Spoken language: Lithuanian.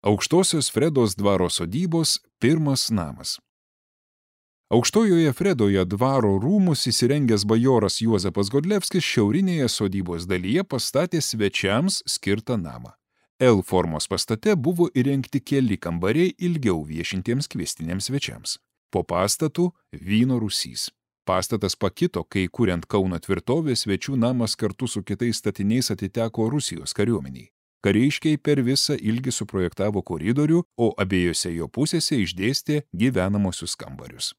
Aukštosios Fredos dvaro sodybos pirmas namas. Aukštojoje Fredoje dvaro rūmus įsirengęs bajoras Juozapas Godlevskis šiaurinėje sodybos dalyje pastatė svečiams skirtą namą. L formos pastate buvo įrengti keli kambariai ilgiau viešintiems kviestiniams svečiams. Po pastatų vyno rūsys. Pastatas pakito, kai kuriant Kauno tvirtovę, svečių namas kartu su kitais statiniais atiteko Rusijos kariuomeniai. Kariškiai per visą ilgį suprojektavo koridorių, o abiejose jo pusėse išdėstė gyvenamosius kambarius.